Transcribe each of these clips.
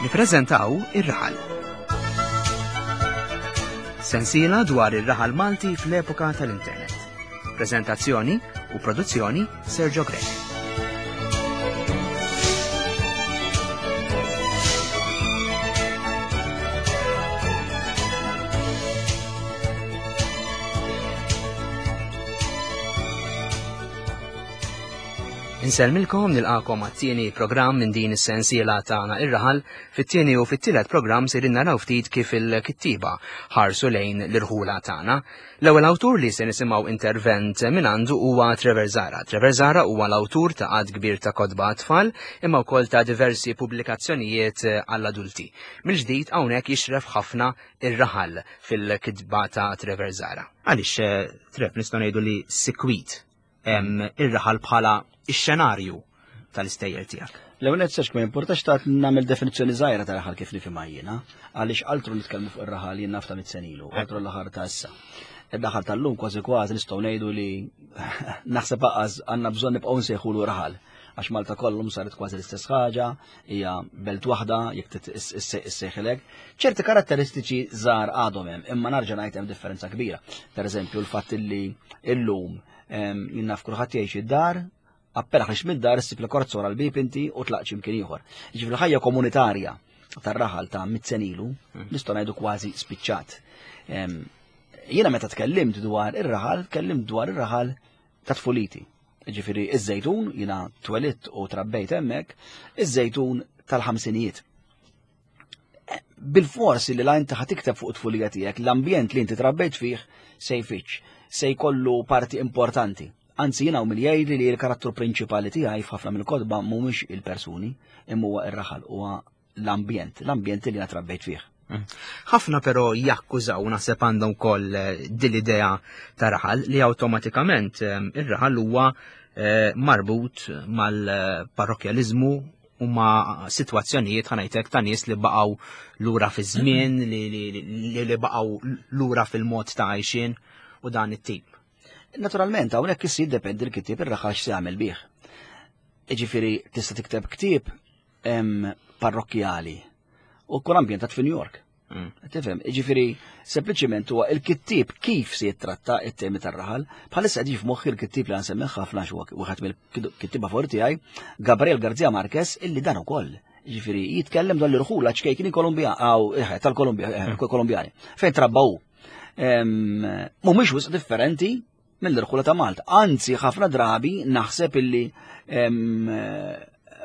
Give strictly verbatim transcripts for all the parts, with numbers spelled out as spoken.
Nippreżentaw Ir-Raħal. Sensiela dwar ir-raħal Malti fl-epoka tal-Internet. Prezentazzjoni u produzzjoni Sergio Grech. Insellmilkom, nilqakom għat-tieni programm minn din is-sensiela tagħna Ir-Raħal. Fit-tieni u fit-tielet programm sejrin naraw ftit kif il-kittieba ħarsu lejn l-irħula tagħna. L-ewwel awtur li se nisimgħu intervent minn għandu huwa Trevor Zahra. Trevor Zahra huwa l-awtur ta' għadd kbir ta' kotba tfal imma wkoll ta' diversi pubblikazzjonijiet għall-adulti. Mill-ġdid hawnhekk jixref ħafna ir-raħal fil-kitba ta' Trevor Zahra. Għaliex, eh, Trev, nistgħu ngħidu li sikwit ir-raħal bħala ix-xenarju tal-istejjer tiegħek? L-ewwel nett, Serġ, ma importax ta' nagħmel definizzjoni żgħira ta' raħal kif nifhimha jiena, għaliex altru nitkellmu fuq ir-raħal jien naf ta' mitt sena ilu, altru l-aħħar ta' issa. Il-raħal tal-lum kważi kważi nistgħu ngħidu li naħseb aqas għandna bżonn nibqgħu nsejħulu raħal, għax Malta kollum saret kważi l-istess ħaġa, hija belt waħda jekk issejħilek. Ċerti karatteristiċi żgħar għadhom hemm, imma narġa' ngħid hemm differenza kbira. Per eżempju, l-fatt li illum jien naf kulħadd jgħix id-dar, appena ħriġt mid-dar issib l-korza wara l-bieb inti u tlaqt x'imkien ieħor. Jiġifieri ħajja komunitarja tar-raħal ta' mitt sena ilu nistgħu ngħidu kważi spiċċat. Jiena meta tkellimt dwar ir-raħal, tkellimt dwar ir-raħal ta' tfuliti. Jiġifieri iż-Żejtun, jiena twelidt u trabbejt hemmhekk, iż-Żejtun tal-ħamsinijiet. Bil-forsi li la inti ħa tikteb fuq tfulija tiegħek, l-ambjent li inti trabbejt fih se jfittx, se jkollu parti importanti. Anzi, jiena u min jgħidli li l-karattru prinċipali tiegħi f'ħafna mill-kotba mhumiex il-persuni, imma huwa ir-raħal, huwa l-ambjent, l-ambjent li jiena trabbejt fih. Mm. Ħafna però jakkużaw, naħseb għandhom ukoll, eh, din l-idea ta' raħal li awtomatikament, eh, ir-raħal huwa, eh, marbut mal-parrokjaliżmu u ma' sitwazzjonijiet ħanajtek ta' nies li baqgħu lura fi żmien, li, li, li, li baqgħu lura fil-mod ta' għajxien u dan it-tip. Naturalment, hawnhekk issir jiddependi l-kittieb ir-raħal x'se jagħmel bih. Jiġifieri tista' tikteb ktieb, em, parrokkjali u kun ambjentat fi New York. Mm. Tifhem, jiġifieri sempliċiment huwa il-kittieb kif se jittratta it-temi tar-raħal. Bħalissa qed f'moħħi l-kittieb li nsemmi ħafna xi wieħed mill-kittieba forti tiegħi, Gabriel Garcia Marquez, illi dan ukoll. Jiġifieri jitkellem dwar l-irħula ċkejkini Kolumbja, aw, eh, tal-Kolumbja, eh, Mm. Kolumbjani, fejn trabbaw. Em, mhumiex wisq differenti mill-irħula ta' Malta. Anzi, ħafna drabi naħseb illi, em,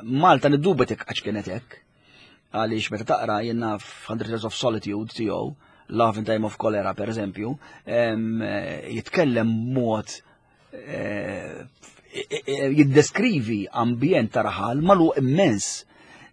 Malta niddubetek għax kienet hekk. Għaliex meta taqra jien naf Hundred Years of Solitude tiegħu, Love in Time of Cholera per eżempju, em, jitkellem mod, eh, jiddeskrivi ambjent ta' raħal malu immens.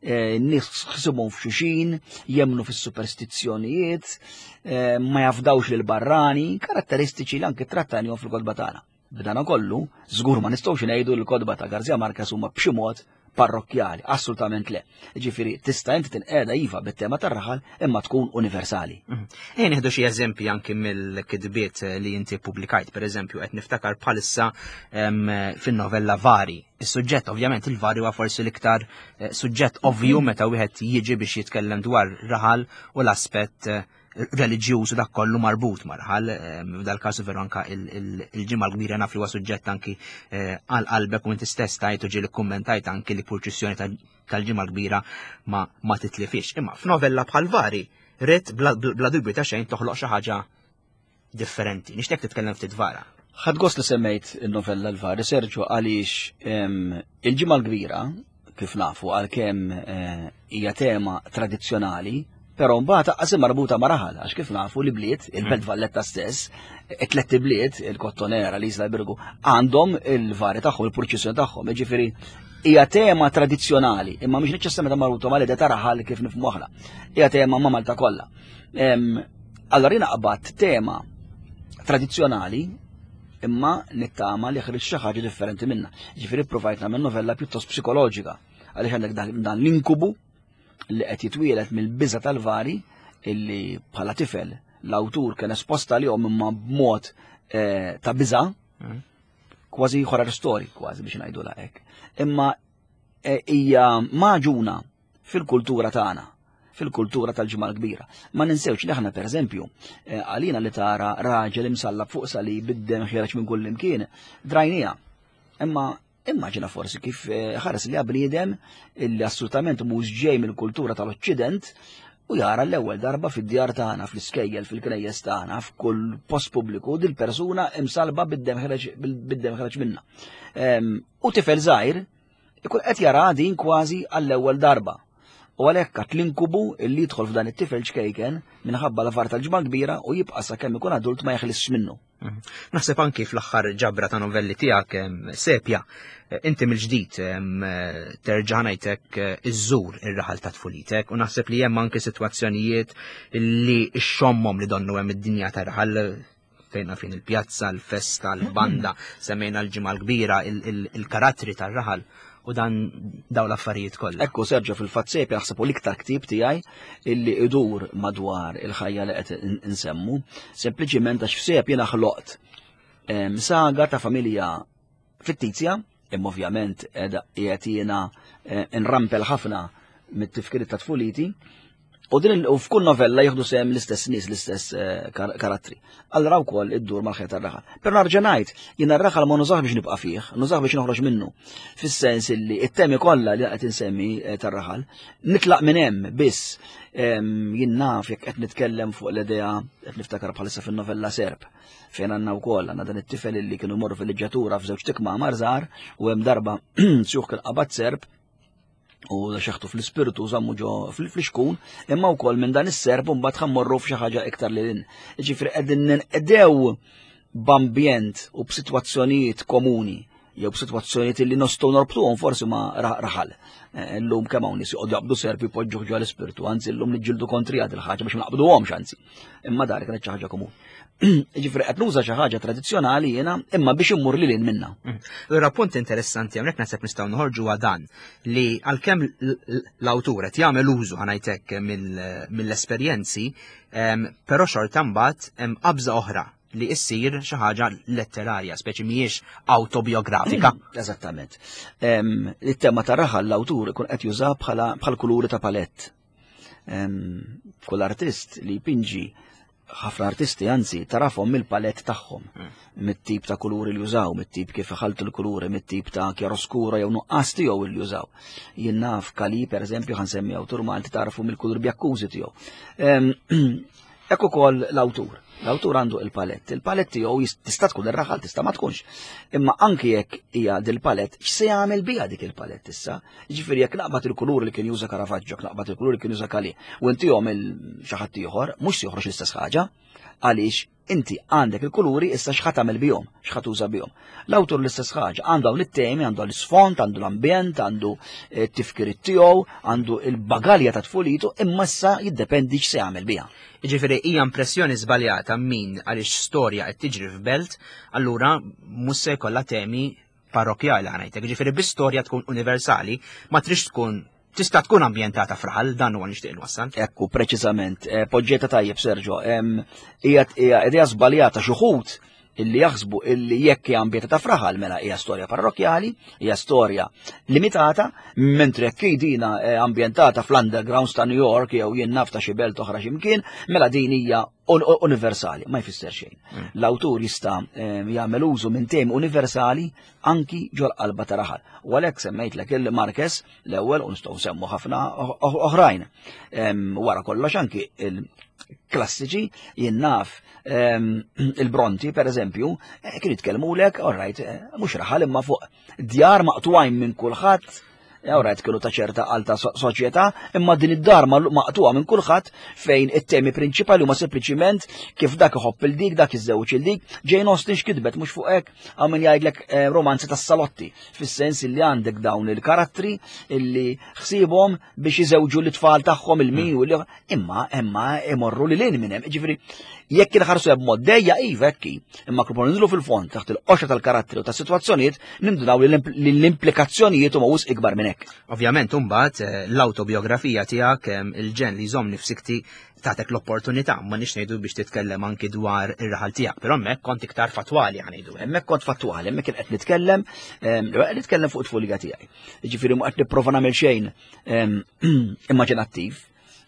Eh, nies ħsibhom f'xulxin, jemnu fis-superstizzjonijiet, eh, ma jafdawx lil barrani, karatteristiċi li anke trattanihom fil-kotba tagħna. B'dan kollu, żgur ma nistgħux ngħidu l-kotba ta' Garcia Marquez huma b'xi mod parrokkjali, assolutament le. Ġifieri tista' inti tinqeda iva bit-tema tar-raħal imma tkun universali. Mhm. Ejja nieħdu xi eżempji anki mill-kitbiet li inti ppubblikajt, pereżempju qed niftakar bħalissa, em, fin-novella Vari. Is-suġġett ovvjament il-Vari huwa forsi l-iktar, eh, suġġett ovvju Mhm. meta wieħed jiġi biex jitkellem dwar raħal u l-aspett, eh, reliġjuż u dak kollu marbut ma' raħal, em, f'dal-każ veru anka il-, il-, il-Ġimgħa l-Kbira naf li huwa suġġett anki, eh, għal qalbek u inti stess tajt u ġieli kkummentajt anki li purċissjoni tal-, tal-Ġimgħa l-Kbira ma, ma titlifix. Imma f'novella bħal Vari, rrid bla, bla dubju ta' xejn toħloq xi ħaġa differenti. Nixtieq titkellem ftit dwarha. Ħadd gost li semmejt il-novella l-Vari, Sergio, għaliex, em, il-Ġimgħa l-Kbira, kif nafu, għalkemm, eh, hija tema tradizzjonali, però mbagħad aqas marbuta ma' raħal, għax kif nafu li bliet, il-Belt Mm. Valletta stess, it-tliet bliet, il-Kottonera, l-Isla Birgu, għandhom il-vari tagħhom, il-purċissjoni tagħhom, jiġifieri hija tema tradizzjonali, imma mhix neċessarjament marbuta mal-idea ta' raħal kif nifhmu aħna. Hija tema ma' Malta kollha. Em, allora jiena qbadt tema tradizzjonali imma nittama li ħriġ xi ħaġa differenti minnha. Jiġifieri provajt nagħmel novella pjuttost psikoloġika, għaliex għandek dan, dan l-inkubu li qed jitwielet mill-biża tal-vari illi bħala tifel l-awtur kien esposta lihom imma b'mod, eh, ta' biża, Mm. kważi horror story, kważi biex ngħidu hekk. Imma, eh, hija maġuna fil-kultura tagħna. fil-kultura tal-Ġimgħa l-Kbira. Ma ninsewx li aħna pereżempju eh, għalina li tara raġel imsallab fuq salib bid-dem ħiereġ minn kull imkien, drajnija. Imma immaġina forsi kif eh, ħares li bniedem illi assolutament mhux ġej mill-kultura tal-Oċċident u jara l-ewwel darba fid-djar tagħna, fl-iskejjel, fil-knejjes tagħna, f'kull post pubbliku dil-persuna imsalba bid-dem ħiereġ bid-dem ħiereġ minnha. Em, U tifel żgħir ikun qed jara din kważi għall-ewwel darba. U għalhekk għat l-inkubu illi jidħol f'dan it-tifel ċkejken minħabba l-affar tal-Ġimgħa Kbira u jibqa' sakemm ikun adult ma jeħlisx minnu. Mhm. Naħseb anki fl-aħħar ġabra ta' novelli tiegħek em, Sepja, eh, inti mill-ġdid em, eh, terġa' ngħidlek eh, iżżur ir-raħal ta' tfulitek u naħseb li hemm anki sitwazzjonijiet li xxommhom li donnu hemm id-dinja ta' raħal fejn fin il-pjazza, l-festa, l-banda, semmejna l-Ġimgħa l-Kbira, il- il- il-karattri tar-raħal u dan daw l-affarijiet kollha. Ekku Sergio fil-fatt Sepja naħseb u l-iktar ktib tiegħi illi idur madwar il-ħajja li qed in- insemmu, sempliċiment għax f'Sepja jiena ħloqt em, saga ta' familja fittizja, imma ovvjament qiegħda qiegħed jiena eh, nrampel ħafna mit-tifkiriet ta' tfuliti, u din il- u f'kull novella jieħdu sehem l-istess nies, l-istess eh, kar karattri. Allura wkoll iddur mal-ħajja tar-raħal. Però nerġa' ngħid, jiena r-raħal ma nużah biex nibqa' fih, nużah biex noħroġ minnu. Fis-sens illi it-temi kollha li qed insemmi eh, tar-raħal, nitlaq minn hemm biss em, jien naf jekk qed nitkellem fuq l-idea qed niftakar bħalissa fin-novella Serp fejn għandna wkoll għandna dan it-tifel illi kienu morru fil-liġġatura f'żewġ tikma żgħar u hemm darba sjuħ kien qabad serp u xeħtu fl-ispirtu żammu ġo fl-fliexkun, imma wkoll minn dan is-serp u mbagħad ħa mmorru f'xi ħaġa iktar lil hinn. Ġifieri qegħdin ninqdew b'ambjent u b'sitwazzjonijiet komuni jew b'sitwazzjonijiet li nistgħu norbtuhom forsi ma' ra- raħal. Eh, Illum kemm hawn nies joqogħdu jaqbdu serpi jpoġġuh ġo l-ispirtu, anzi llum niġġieldu kontri għad il-ħaġa biex ma naqbduhomx anzi. Imma dar kienet xi ħaġa komuni. Ġifieri qed nuża xi ħaġa tradizzjonali jiena imma biex immur lil hinn minnha. Allura punt interessanti hawnhekk naħseb nistgħu noħorġu dan li għalkemm l- l- l-awtur qed jagħmel użu ħa ngħidlek mill- mill-esperjenzi, em, però xorta mbagħad hemm qabża oħra li issir xi ħaġa letterarja, speċi mhijiex autobiografika. Eżattament. Em, Il-tema ta' raħal l-awtur ikun qed juża bħala bħal kuluri ta' palett. Em, Kull artist li jpinġi ħafna artisti anzi tarafhom mill-palett tagħhom, mit-tip ta' kuluri li jużaw, mit-tip kif iħaltu l-kuluri, mit-tip ta' chiaroscuro jew nuqqas tiegħu li jużaw. Jien naf Kali pereżempju ħa nsemmi awtur Malti tarfu mill-kulur bjakkużi tiegħu. Em, Ekku ukoll l-awtur. L-awtur għandu il-palett. Il-palett tiegħu jist- tista' tkun ir-raħal, tista' ma tkunx. Imma anki jekk hija dil-palett, x'se jagħmel biha dik il-palett issa? Jiġifieri jekk naqbad il-kulur li kien juża Caravaggio, jekk naqbad il-kulur li kien juża Kali, u intihom il xi ħadd ieħor, mhux se joħroġ l-istess ħaġa, għaliex inti għandek il-kuluri issa x'ħa tagħmel bihom, x'ħa tuża bihom. L-awtur l-istess ħaġa, għandu hawn it-temi, għandu l-isfond, għandu l-ambjent, għandu t-tifkiriet tiegħu, għandu il-bagalja ta' tfulitu, imma issa jiddependi x'se jagħmel biha. Jiġifieri hija impressjoni żbaljata min għaliex storja qed tiġri f'belt, allura mhux se jkollha temi parrokjali ħa ngħidlek. Jiġifieri bi storja tkun universali, ma trix tkun tista' tkun ambjentata f'raħal, dan huwa nixtieq nwassal. Ekku, preċiżament, eh, poġġejtha tajjeb Sergio, em, hija hija idea żbaljata xi wħud illi jaħsbu illi jekk hija ambjentata f'raħal mela hija storja parrokjali, hija storja limitata, mentri jekk dina eh, ambjentata fl-undergrounds ta' New York jew jien naf ta' xi belt oħra x'imkien, mela din hija un universali, ma jfisser xejn. L-awtur jista' eh, jagħmel użu minn temi universali anki ġol qalba ta' raħal. U għalhekk semmejtlek il-Marquez l-ewwel u nistgħu nsemmu ħafna oħrajn. Em, Wara kollox anki il-klassiċi jien naf em, il-Bronte per eżempju, eh, kien jitkellmulek, all right, eh, mhux raħal imma fuq djar maqtugħin minn kulħadd, all right, kienu ta' ċerta alta so- soċjetà, imma din id-dar ma- maqtuha minn kulħadd fejn it-temi prinċipali huma sempliċiment kif dak iħobb il dik, dak iżżewġ il dik, Jane Austen x'kitbet mhux fuq hekk hawn min jgħidlek eh, romanzi tas-salotti, fis-sens illi għandek dawn il-karattri illi ħsiebhom biex iżewġu l-tfal tagħhom il-min u l imma imma imorru lil hinn minn hemm. Ġifieri jekk inħarsu b'mod dejja iva hekk hi, imma kif ninżlu fil-fond taħt il-qoxra tal-karattri u tas-sitwazzjonijiet nindunaw li l-implikazzjonijiet huma wisq ikbar minn hekk. Ovvjament, imbagħad eh, l-autobiografija tiegħek em, il-ġenn li jżommni f'sikti tagħtek l-opportunità, ma nix ngħidu biex titkellem anki dwar ir-raħal tiegħek, però hemmhekk kont iktar fatwali ħa ngħidu. Hemmhekk kont fattwali, hemmhekk kien qed nitkellem, em, qed nitkellem fuq it-tfulija tiegħi. Jiġifieri ma qed nipprova nagħmel xejn em, immaġinattiv.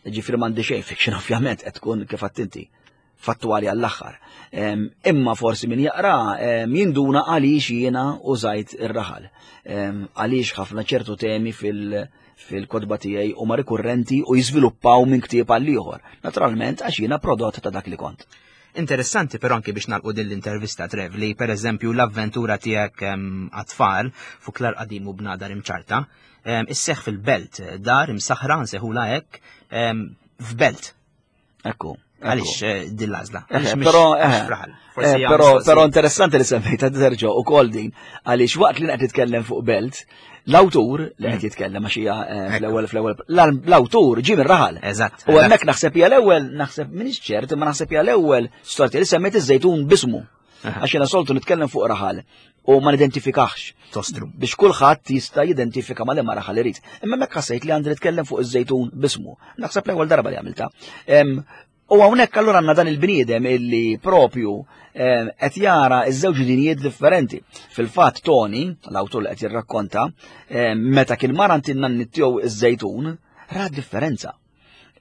Ġifieri m'għandi xejn fiction ovvjament qed tkun kif inti fattwali għall-aħħar. Imma forsi min jaqra jinduna għaliex jiena użajt ir-raħal. Għaliex ħafna ċertu temi fil- fil-kotba tiegħi huma rikurrenti u jiżviluppaw minn ktieb għal ieħor. Naturalment għax jiena prodott ta' dak li kont. Interessanti però anki biex nagħlqu din l-intervista Trev li per eżempju l-avventura tiegħek għat-tfal Fuklar Qadim u Bnadar Imċarta isseħ fil-belt, dar imsaħra nsejħulha hekk f'belt. Ekku. Għaliex eh, din l-għażla? Però eh, però però interessanti li semmejta terġa' ukoll din għaliex waqt li qed titkellem fuq belt, l-awtur li qed mm. jitkellem għax hija eh, fl-ewwel fl-ewwel l-awtur ġie mir-raħal. Eżatt. U hemmhekk naħseb hija l-ewwel naħseb m'iniex ċert imma naħseb hija l-ewwel storja li semmejt iż-żejtun bismu. Għax jiena soltu nitkellem fuq raħal u ma nidentifikax. Tostru. Biex kulħadd jista' jidentifika ma liema raħal irid. Imma hemmhekk ħassejt li għandi nitkellem fuq iż-żejtun bismu. Naħseb l-ewwel darba li għamilta. U hawnhekk allura għandna dan il-bniedem illi propju qed jara iż-żewġ dinijiet differenti. Fil-fatt Tony, l-awtur li qed jirrakkonta, meta kien mar għand in-nanni tiegħu iż-żejtun, ra differenza.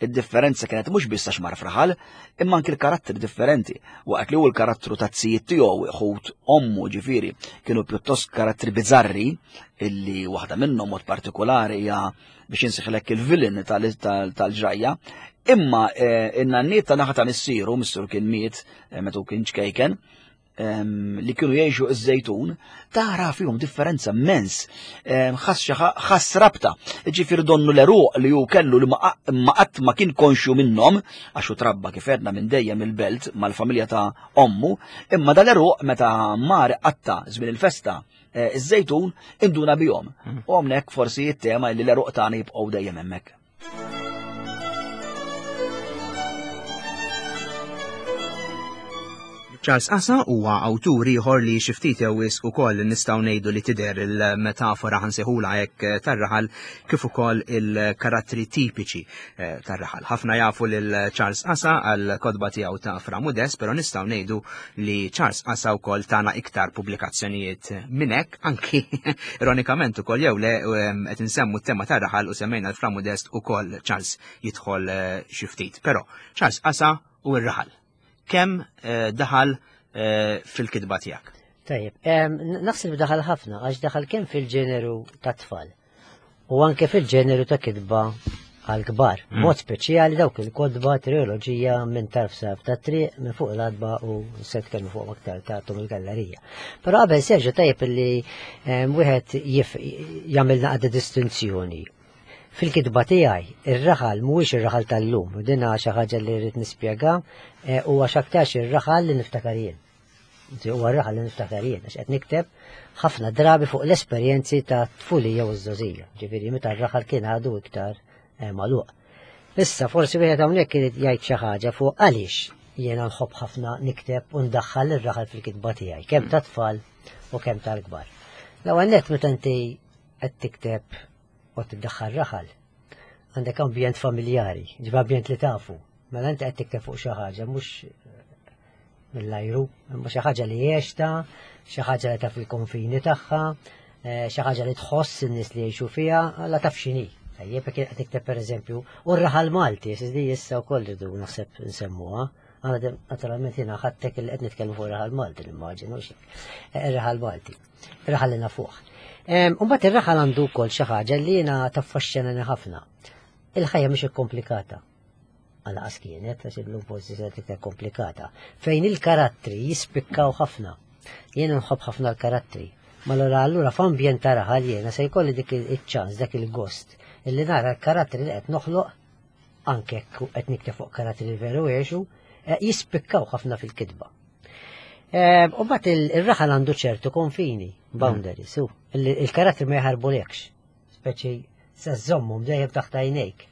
Id-differenza kienet mhux biss għax mar f'raħal, imma anki l-karatteri differenti. Waqt li hu l-karattru ta' tzijiet tiegħu ħut ommu ġifieri kienu pjuttost karattri bizzarri illi waħda minnhom mod partikolari hija biex insiħlek il-villain tal-ġrajja, imma in-nanniet ta' naħa ta' missieru, missieru kien miet meta hu kien ċkejken, li kienu jgħixu iż-żejtun, tara fihom differenza immens, ħass rabta. Ġifieri donnu l-eruq li hu kellu li ma qatt ma kien konxju minnhom, għax hu trabba kif għedna minn dejjem il-belt mal-familja ta' ommu, imma dal-eruq meta mar qatta żmien il-festa iż-żejtun induna bihom. U hawnhekk forsi t-tema li l-eruq tagħna jibqgħu dejjem hemmhekk. Charles Asa huwa awtur ieħor li xi ftit jew wisq ukoll nistgħu ngħidu li tidher il-metafora ħansejħulha hekk tar-raħal kif ukoll il-karattri tipiċi tar-raħal. Ħafna jafu lil Charles Asa għal kotba tiegħu ta' Fra Mudest, però nistgħu ngħidu li Charles Asa wkoll tana iktar pubblikazzjonijiet minn hekk, anki ironikament ukoll jew le qed insemmu t-tema tar-raħal u semmejna l-Fra Mudest ukoll Charles jidħol xi ftit. Però Charles Asa u r-raħal. Kemm daħal fil-kitba tiegħek? Tajjeb, naħseb daħal ħafna għax daħal kemm fil-ġeneru ta' tfal u anke fil-ġeneru ta' kitba għal-kbar. Mod speċjali dawk il-kotba triloġija minn tarf saf ta' triq minn fuq l-adba u se tkellmu fuq aktar ta' Tom il-gallerija. Però qabel Sergio tajjeb li wieħed jagħmel naqda distinzjoni. Fil-kitba tiegħi ir-raħal mhuwiex ir-raħal tal-lum, din xi ħaġa li rrid nispjega, huwa x'aktarx ir-raħal li niftakar jien. Huwa r-raħal li niftakar jien għax qed nikteb ħafna drabi fuq l-esperjenzi ta' tfulija u ż-żgħożija, ġifieri meta r-raħal kien għadu iktar magħluq. Issa forsi wieħed hawnhekk irid jgħid xi ħaġa fuq għaliex jiena nħobb ħafna nikteb u ndaħħal ir-raħal fil-kitba tiegħi, kemm ta' tfal u kemm tal-kbar. L-ewwel nett meta inti qed tikteb u tiddaħħal raħal, għandek ambjent familjari, ġifieri ambjent li tafu. Mela inti qed tikteb fuq xi ħaġa mhux mill-ajru, imma xi ħaġa li għexta, xi ħaġa li taf il-konfini tagħha, xi ħaġa li tħoss in-nies li jgħixu fiha, alla taf x'inhi. Tajjeb, jekk qed tikteb pereżempju, u r-raħal Malti, di issa wkoll irridu naħseb nsemmuha. Għana naturalment jiena ħadtek li qed nitkellmu fuq ir-raħal Malti, nimmaġinu xi. Ir-raħal Malti, ir-raħal li nafuh. U mbagħad ir-raħal għandu wkoll xi ħaġa li jiena taffaxxinani ħafna. Il-ħajja mhix ikkomplikata. Għalqas kienet, għax illum forsi se iktar komplikata. Fejn il-karattri jispikkaw ħafna. Jiena nħobb ħafna l-karattri. Ma allura allura f'ambjent ta' raħal jiena se jkolli dik iċ-ċans, dak il-gost, illi nara l-karattri li qed noħloq, anke qed nikteb fuq karattri li veru għexu, jispikkaw ħafna fil-kitba. U mbagħad ir-raħal għandu ċertu konfini, boundaries, u il-karattri ma jaħarbulekx, speċi se żommhom dejjem taħt għajnejk.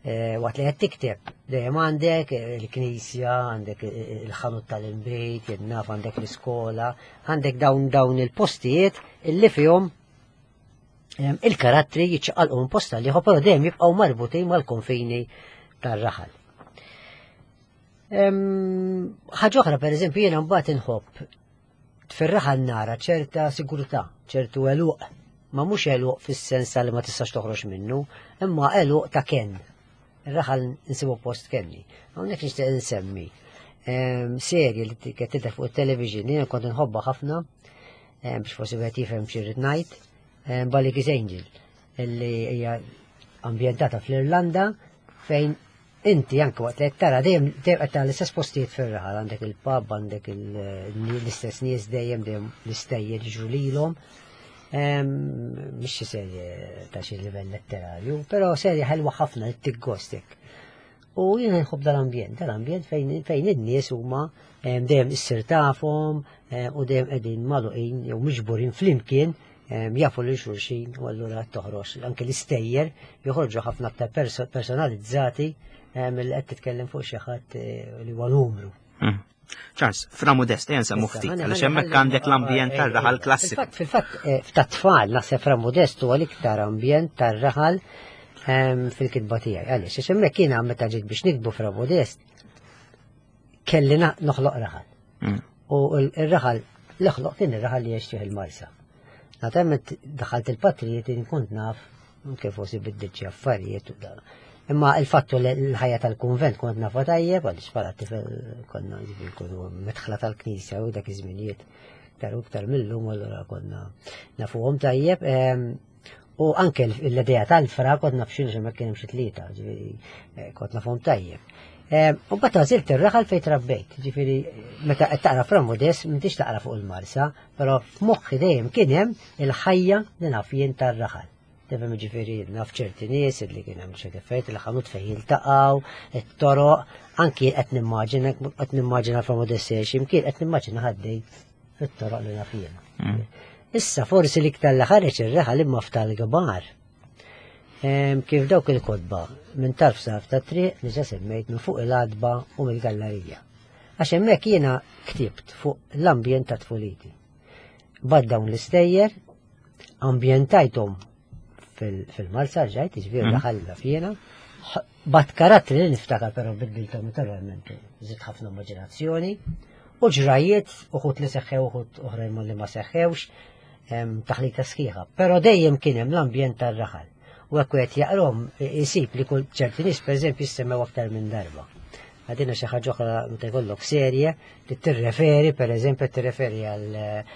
Waqt li qed tikteb, dejjem għandek il-knisja, għandek il-ħanut tal-inbejt, jien naf għandek l-iskola, għandek dawn dawn il-postijiet illi fihom il-karattri jiċċaqalqu minn post għal ieħor, però dejjem jibqgħu marbutin mal-konfini tar-raħal. Ħaġa oħra, pereżempju, jiena mbagħad inħobb fir-raħal nara ċerta sigurtà, ċertu għeluq, ma mhux għeluq fis-sens li ma tistax toħroġ minnu, imma għeluq ta' kenn. Ir-raħal nsibu post kenni. Hawnhekk nixtieq insemmi ehm, serje li kienet tidher fuq it-television, jiena kont inħobbha ħafna ehm, biex forsi wieħed jifhem xi rrid ngħid, ehm, Bally's Angel, illi hija ambjentata fl-Irlanda fejn inti anke waqt li qed tara dejjem dejjem qed tara l-istess postijiet fir-raħal, għandek il-pub, għandek il- l-istess nies dejjem dejjem l-istejjer jiġru lilhom. Ehm, Mhix xi serje ta' xi livell letterarju, però serje ħelwa ħafna li tiggostek. U jiena nħobb dal-ambjent, dal-ambjent fejn fejn in-nies huma em, dejjem issir tafhom em, u dejjem qegħdin magħluqin jew miġburin flimkien em, jafu lil xulxin u allura toħroġ anke l-istejjer joħorġu ħafna aktar perso- personalizzati em, li qed titkellem fuq xi ħadd eh, li huwa numru. Mm. Charles, Fra Modest, ejja nsemmu Issa, ftit, ħalli- għaliex ħalli- hemmhekk ħalli- għandek l-ambjent eh, tar-raħal eh, klassiku. Fil-fatt, fil-fatt, eh, tat-tfal naħseb Fra Modest huwa l-iktar ambjent tar-raħal ehm, fil-kitba tiegħi. Għaliex, għax hemmhekk jiena meta ġiet biex nikbu Fra Modest kelli na- noħloq raħal. Mm. U l-raħal, l-ħloq kien ir-raħal li jgħix fih il-Marsa. Naturalment daħalt il-patrijiet kont naf kif forsi biddilt xi affarijiet u da. Imma il-fattu li l-ħajja tal-kunvent kont nafa tajjeb, għaliex bħala tifel konna ġifieri nkunu medħla tal-knisja u dak iż-żminijiet iktar u iktar millum allura konna nafuhom tajjeb. Em, U anke l-idea tal-fra kont naf x'inhu ma kien hemm xi tlieta, ġifieri eh, kont nafhom tajjeb. Em, U mbagħad għażilt ir-raħal fejn trabbejt, ġifieri meta qed taqra Fra Modest m'intix taqra fuq il-Marsa, però f'moħħi dejjem kien hemm il-ħajja li naf jien tar-raħal. Tifhem ġifieri naf ċerti nies li kien hemm xi affarijiet il ħanut fejn jiltaqgħu, it-toroq, anki qed nimmaġina qed nimmaġina Fra Modest x'imkien qed nimmaġina ħaddej fit-toroq li naf jiena. Mm. Issa forsi l-iktar li ħareġ ir-raħal imma f'tal-kbar. Em, Kif dawk il-kotba minn tarf saf ta' triq li ġa semmejt minn fuq il-għadba u mill-gallerija. Għax hemmhekk jiena ktibt fuq l-ambjent ta' tfuliti. Bad dawn l-istejjer, ambjentajthom fil- fil-Marsa ġajt, ġifieri Mhm. daħal fjena. Bat karattri li niftakar però biddilthom naturalment, żidt ħafna immaġinazzjoni, u ġrajiet, uħud li seħħew, uħud oħrajn li ma seħħewx, em, taħlita sħiħa. Però dejjem kien hemm l-ambjent tar-raħal. U hekk wieħed jaqrom isib li kull ċerti nies pereżempju jissemmew aktar minn darba. Għadina xi ħaġa oħra meta jkollok serje li tirreferi pereżempju tirreferi għal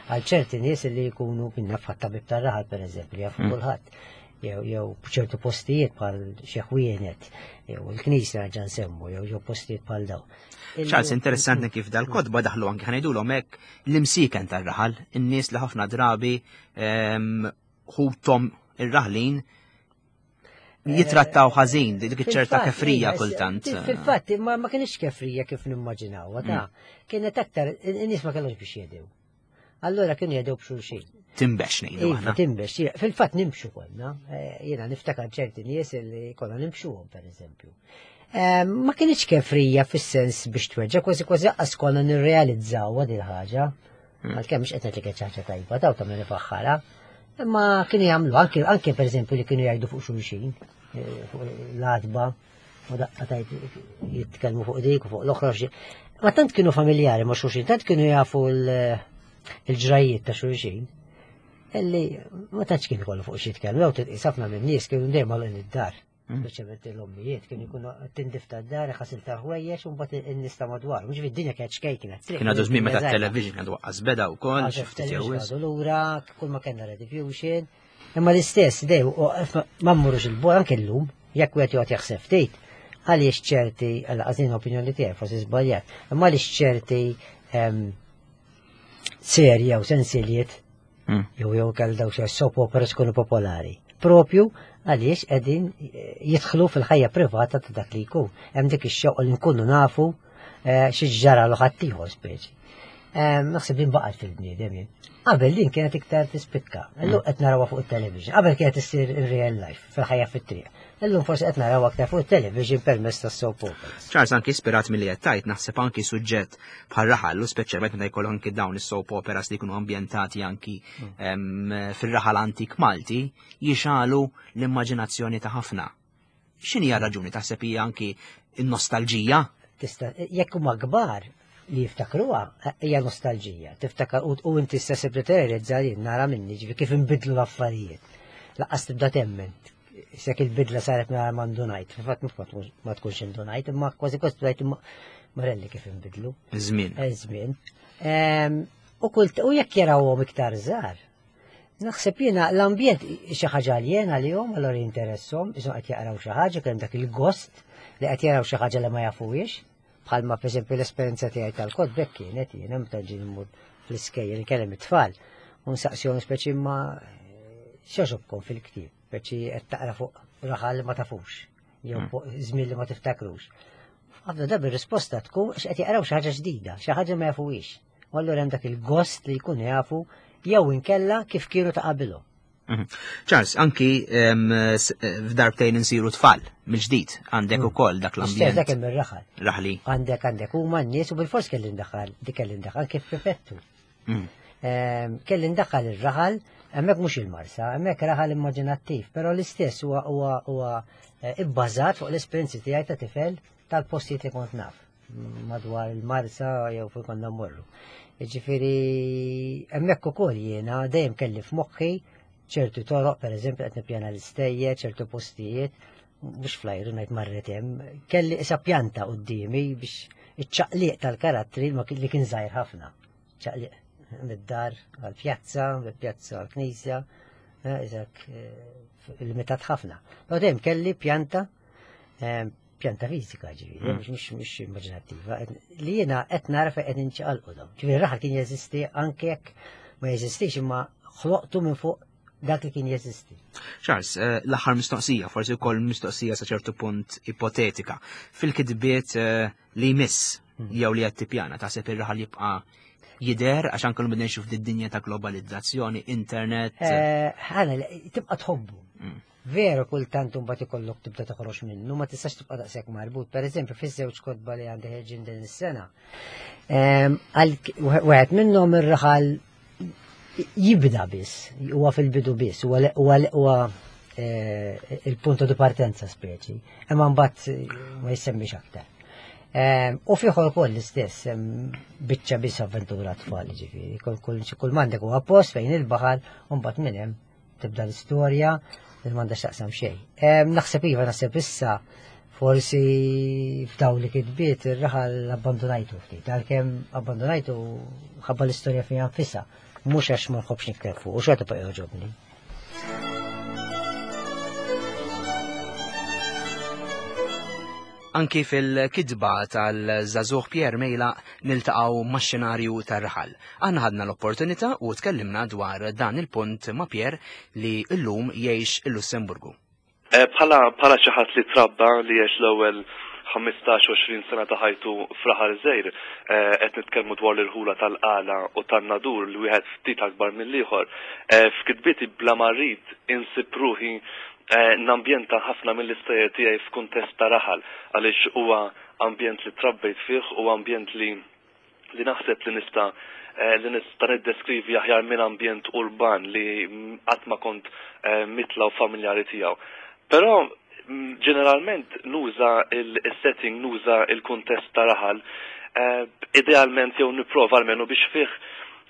għal ċerti nies li jkunu minna fatt tabib tar-raħal pereżempju li jafu Mm. kulħadd. Jew jew ċertu postijiet bħal xi ħwienet, jew il-knisja ġa nsemmu, jew jew postijiet bħal daw. Charles, interessanti kif dal-kotba daħlu anki ħa ngħidulhom hekk l-imsiken tar-raħal, in-nies li ħafna drabi em, ħuthom ir-raħlin jitrattaw ħażin, dik iċ-ċerta Fil-fatt, kefrija iva, kultant. Fil-fatt, ma, ma kienx kefrija kif nimmaġinaw, ta' kienet aktar, in-nies ma kellhomx biex jedew. Allora kienu jedew b'xulxin. Timbex ngħidu Iva, aħna. timbex, jiena- fil-fatt nimxu konna, eh, jiena niftakar ċerti nies li konna nimxuhom per eżempju. Eh, Ma kienx kefrija fis-sens biex tweġġa, kważi kważi qas konna nirrealizzaw din il-ħaġa. Għalkemm mhux qed ngħid li kienet xi ħaġa tajba, daw ta' min ifaħħara. Imma kienu jagħmlu anke anke pereżempju li kienu jgħidu fuq xulxin, eh, fuq l-għatba, u daqqa tajt jitkellmu fuq dik u fuq l-oħra. xi- Ma tant kienu familjari ma' xulxin, tant kienu jafu l- il-ġrajiet ta' xulxin. Illi ma tantx kien ikollu fuq xi jitkellmu, jew titqis ħafna minn nies kienu dejjem għal id-dar. Mm. Speċjalment l-ommijiet kienu jkunu tindif tad-dar, ħasil tal-ħwejjeġ u mbagħad in-nies ta' madwar. Mhux id-dinja kienet xkejkna. Kien għadu żmien meta t-television għadu waqqas beda wkoll, xi ftit jew wisq. Għadu lura, kull ma kellna rediffusion. Imma l-istess, dej, u ma mmurux il-bol anke llum, jekk wieħed joqgħod jaħseb ftit, għaliex ċerti, għal għażin opinjoni tiegħi forsi żbaljat, imma għaliex ċerti em, serje u sensiliet Mm. jew jew kell daw xi soap operas kunu popolari. Propju għaliex qegħdin eh, jidħlu fil-ħajja privata ta' dak li jkun. Hemm dik ix-xewqa li nkunu nafu eh, xi ġara l ħaddieħor speċi. Eh, Naħseb din baqgħet fil-bniedem jien. Qabel din kienet iktar tispikka. Illum qed narawha fuq it-television. Qabel kienet issir in real life, fil-ħajja fit-triq. Illum forsi qed narawha aktar fuq it-television permezz tas-soap operas. Charles anki ispirat milli qed tajt naħseb anki suġġett bħal raħal u speċjalment meta jkollok anki dawn is-soap operas li jkunu ambjentati anki em, fir-raħal antik Malti jixalu l-immaġinazzjoni ta' ħafna. X'inhi raġuni taħseb hija anki n-nostalġija? Tista' jekk huma kbar li jiftakruha hija nostalġija. Tiftakar u, u inti stess li terrealizza li nara minni ġifi kif inbidlu l-affarijiet. Laqqas tibda temmen. Sek il-bidla saret ma mandunajt, fil-fatt mhux ma tkunx indunajt, imma kważi kważi tgħid marelli kif inbidlu. Żmien. Żmien. U kult u jekk jarawhom iktar żgħar. Naħseb jiena l-ambjent xi ħaġa aljena għalihom, allura jinteresshom, isom qed jaqraw xi ħaġa, kemm dak il-gost li qed jaraw xi ħaġa li ma jafuhiex, bħalma pereżempju l-esperjenza tiegħi tal-kotba hekk kienet jiena meta ġie mmur fl-iskejjel nkellem it-tfal u nsaqsihom speċi ma x'għoġobkom fil-ktieb, speċi qed taqra fuq raħal li ma tafux, jew fuq żmien li ma tiftakrux. Ħafna drabi r-risposta tkun x'qed jaqraw xi ħaġa ġdida, xi ħaġa ma jafuhiex. U allura hemm dak il-gost li jkunu jafu jew inkella kif kienu ta' qabilhom. Charles, anki f'darbtejn insiru tfal, mill-ġdid, għandek ukoll dak Istess l-ambjent dak hemm ir-raħal. raħli. Għandek għandek huma n-nies u bil-fors kelli ndaħħal, dik kelli ndaħħal kif prefettu. Mm. Ehm, Kelli ndaħħal ir-raħal, hemmhekk mhux il-Marsa, hemmhekk raħal immaġinattiv, però l-istess huwa huwa huwa eh, ibbażat fuq l-esperjenzi tiegħi ta' tifel tal-postijiet li kont naf madwar il-Marsa jew fejn konna mmorru. Jiġifieri hemmhekk ukoll jiena dejjem kelli f'moħħi ċertu toroq, pereżempju qed nippjana l-istejjer, ċertu postijiet, mhux flajru ngħid marret hemm, kelli isa pjanta quddiemi biex iċ-ċaqliq tal-karattri ma kien- li kien żgħir ħafna. Ċaqliq mid-dar għal-pjazza, mill-pjazza għal-knisja, eh, iżak eh, limitat ħafna. Però dejjem kelli pjanta eh, pjanta fiżika ġifieri, Mm. mhux mhux mhux immaġinattiva, li jiena qed nara fejn qed inċaqalqu dawn. Ġifieri raħal kien jeżisti anke jekk ma jeżistix imma ħloqtu minn fuq dak li kien jeżisti. Charles, eh, l-aħħar mistoqsija, forsi wkoll mistoqsija sa ċertu punt ipotetika. Fil-kitbiet eh, li jmiss jew li qed tippjana taħseb ir-raħal jibqa' jidher għax anke l bidna nxuf id-dinja ta' globalizzazzjoni, internet. Eh, ħana, tibqa tħobbu. Mm. Veru kultant imbagħad ikollok tibda toħroġ minnu, ma tistax tibqa' daqshekk marbut. Per eżempju, fiż-żewġ kotba li għandi ħerġin din is-sena. ehm, għal wieħed minnhom ir-raħal jibda biss, huwa fil-bidu biss, huwa huwa huwa eh, il-punto di partenza speċi, imma mbagħad eh, ma jissemmix aktar. Ehm, U f'ieħor ukoll l-istess, hemm biċċa biss avventura tfal ġifieri, kull kull kull m'għandek huwa post fejn il-baħar u mbagħad minn hemm tibda l-istorja li m'għandha x'taqsam xejn. Ehm, Naħseb iva, naħseb issa forsi f'daw li kitbiet ir-raħal abbandonajtu ftit, għalkemm abbandonajtu ħabba l-istorja fiha nfisha, mhux għax ma nħobbx nikteb fuq, u xorta baqa' jogħġobni. Anki fil-kitba tal-żagħżugħ Pierre Mejlaq niltaqgħu max-xenarju tar-raħal. Aħna ħadna l-opportunità u tkellimna dwar dan il-punt ma' Pierre li llum jgħix il-Lussemburgu. Eh, Bħala bħala xi ħadd li trabba li għex l-ewwel ħmistax għoxrin sena ta' ħajtu f'raħal żgħir, eh, qed nitkellmu dwar l-irħula tal-Qala u tan-Nadur li wieħed ftit akbar mill-ieħor. Eh, F'kitbieti bla ma rrid insib ruħi eh, nambjenta ħafna mill-istejjer tiegħi f'kuntest ta' raħal għaliex huwa ambjent li trabbejt fih u ambjent li li naħseb li nista' eh, li nista' niddeskrivi aħjar minn ambjent urban li mm, qatt ma kont eh, mitla u familjari tiegħu. Però mm, ġeneralment nuża il-setting, nuża il-kuntest ta' raħal, eh, idealment jew nipprova almenu biex fih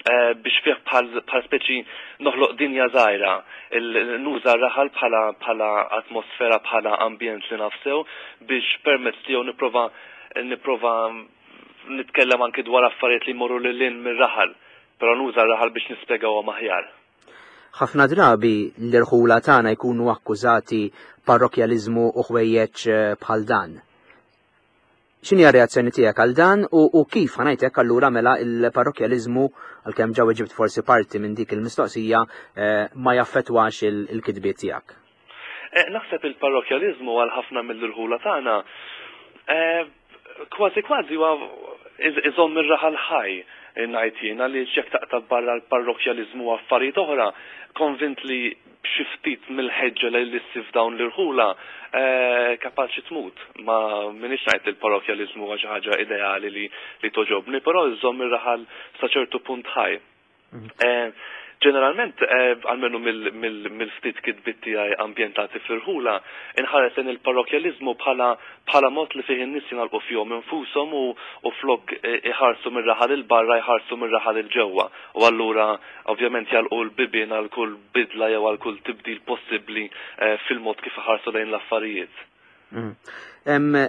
eh, biex fih bħal bħal speċi noħloq dinja żgħira, il- nuża r-raħal bħala bħala atmosfera, bħala ambjent li nafsew biex permezz tiegħu nipprova nipprova nitkellem anki dwar affarijiet li jmorru lil hinn mir-raħal, però nuża r-raħal biex nispjegawhom aħjar. Ħafna drabi l-irħula tagħna jkunu akkużati parrokjaliżmu u ħwejjeġ eh, bħal dan. X'inhi r-reazzjoni tiegħek għal dan u, u kif ħa ngħidlek allura mela il-parrokjaliżmu għalkemm ġa ġibt forsi parti minn dik il-mistoqsija eh, ma jaffettwax il- il-kitbiet tiegħek? Eh, Naħseb il-parrokjaliżmu għal ħafna mill-irħula tagħna eh, kważi kważi huwa iż- iżomm ir-raħal ħaj ngħid jien għaliex jekk taqta' barra l-parrokjaliżmu u affarijiet oħra, konvint li b'xi ftit mill-ħeġġa li ssib f'dawn l-irħula eh, kapaċi tmut. Ma minix ngħid il-parrokjaliżmu huwa xi ħaġa ideali li li toġobni, però iżomm ir-raħal sa ċertu punt ħaj. Eh, Ġeneralment, eh, almenu mill-ftit kitbiet tiegħi ambjentati fl-irħula, inħares lejn il-parrokjaliżmu bħala bħala mod li fih in-nies jingħalqu fihom infushom u, u flok eh, iħarsu mir-raħal 'il barra jħarsu mir-raħal 'il ġewwa. U allura ovvjament jagħlqu l-bibien għal kull bidla jew għal kull tibdil possibbli eh, fil-mod kif iħarsu lejn l-affarijiet. Mm.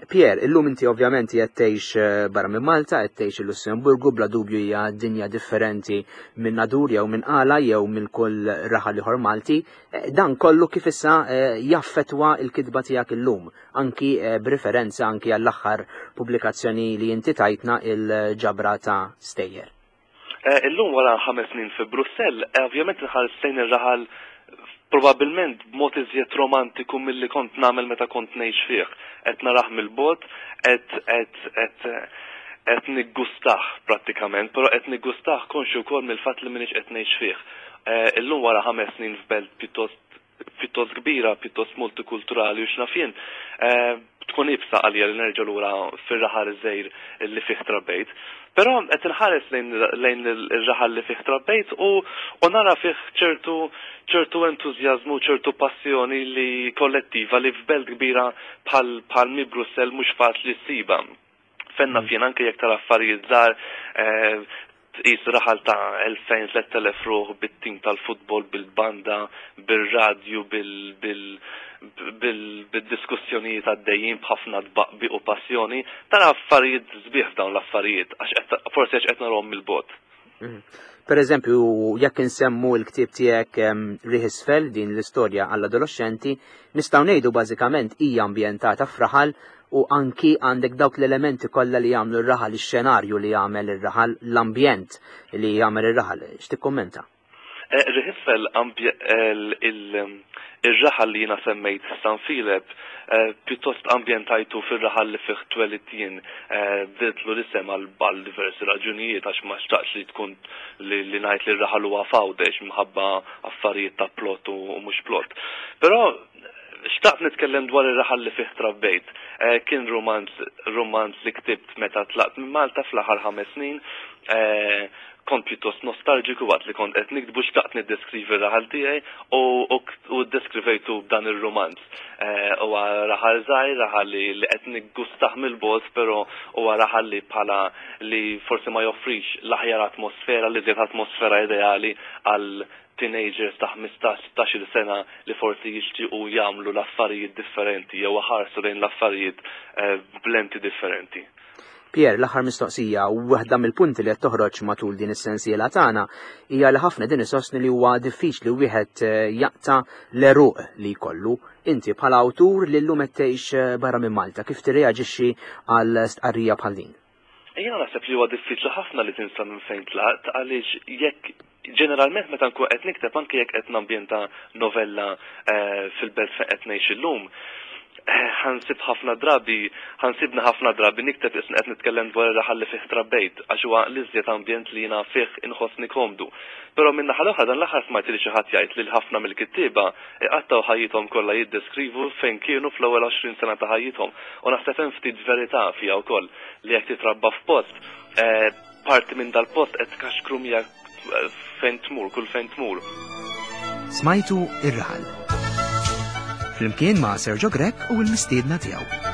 Pierre, illum inti ovvjament qed tgħix eh, barra minn Malta, qed tgħix il-Lussemburgu, bla dubju hija dinja differenti minn Nadur jew minn Qala jew minn kull raħal ieħor Malti. Eh, dan kollu kif issa eh, jaffetwa l-kitba tiegħek illum, anki b'referenza anki għall-aħħar pubblikazzjoni li inti tajtna, il-ġabra ta' stejjer. Illum wara ħames snin fi Brussell, ovvjament nħares lejn ir-raħal probabilment b'mod iżjed romantiku milli kont nagħmel meta kont ngħix fih. Qed narah mill-bogħod, qed qed qed qed niggustah prattikament, però qed niggustah konxju wkoll mill-fatt li m'iniex qed ngħix fih. Eh, illum wara ħames snin f'belt pjuttost pjuttost kbira, pjuttost multikulturali u x'naf jien, eh, tkun iebsa għalija li nerġa' lura fir-raħal iż-żgħir li fih trabbejt. Però qed inħares lejn lejn ir-raħal li fih trabbejt u u nara fih ċertu ċertu entużjażmu, ċertu passjoni li kollettiva li f'belt kbira bħal bħal mi Brussell mhux faċli ssiba. Fenna fien anke jekk tara affarijiet żgħar, eh, tqis raħal ta' elfejn tlett elef ruħ bit-tim tal-futbol, bil-banda, bir-radju, bil- bil- bil- bil-diskussjonijiet għaddejjin b'ħafna tbaqbi u passjoni, tara affarijiet sbieħ f'dawn l-affarijiet, għax qed- forsi għax qed narahom mill-bogħod. Mhm. Per eżempju, jekk insemmu l-ktieb tiegħek em, Riħ Isfel, din l-istorja għall-adolescenti, nistgħu ngħidu bażikament hija ambjentata f'raħal u anki għandek dawk l-elementi kollha li jagħmlu r-raħal, ix-xenarju li jagħmel ir-raħal, l-ambjent li jagħmel ir-raħal. X'tikkummenta? Eh, Riħ Isfel, ir-raħal li jiena semmejt San Filep, eh, pjuttost ambjentajtu fir-raħal li fih twelidt jien, eh, bdiltlu l-isem għal għal diversi raġunijiet għax ma xtaqx li tkun li, li ngħid li r-raħal huwa f'Għawdex minħabba affarijiet ta' plot u, u mhux plot. Però xtaqt nitkellem dwar ir-raħal li fih trabbejt. Eh, kien romanz, romanz li ktibt meta tlaqt minn Malta fl-aħħar ħames snin. Eh, kont pjuttost nostalġiku waqt li kont qed niktbu, xtaqt niddeskrivi r-raħal tiegħi u, u, u ddeskrivejtu b'dan ir-romanz. Eh, huwa raħal żgħir, raħal li, li qed niggustah mill-bogħod, però huwa raħal li bħala li forsi ma joffrix l-aħjar atmosfera, li żjed atmosfera ideali għal teenagers ta' ħmistax, sittax-il sena li forsi jixtiequ jagħmlu l-affarijiet differenti jew ħarsu lejn l-affarijiet, eh, b'lenti differenti. Pierre, l-aħħar mistoqsija, u waħda mill-punti li qed toħroġ matul din is-sensiela tagħna hija li ħafna din isostni li huwa diffiċli wieħed, eh, jaqta' l-għeruq li jkollu. Inti bħala awtur li llum qed tgħix, eh, barra minn Malta, kif tirreaġixxi għal stqarrija bħal din? Jiena naħseb li huwa diffiċli ħafna li tinsa minn fejn tlaqt, għaliex jekk ġeneralment meta nkun qed nikteb, anke jekk qed nambjenta novella, eh, fil-belt fejn qed ngħix illum, eh, ħansib ħafna drabi, ħansibna ħafna drabi nikteb isni qed nitkellem dwar ir-raħal li fih trabbejt, għax huwa l-iżjed ambjent li jiena fih inħossni komdu. Però minn naħa l-oħra dan l-aħħar smajt li xi ħadd jgħid li ħafna mill-kittieba iqattgħu ħajjithom kollha jiddeskrivu fejn kienu fl-ewwel għoxrin sena ta' ħajjithom. U naħseb hemm ftit verità fiha wkoll li jekk titrabba f'post, eh, parti minn dal-post qed tkaxkru miegħek fejn tmur, kull fejn tmur. Smajtu Ir-Raħal. Flimkien ma' Sergio Grech u l-mistiedna tiegħu.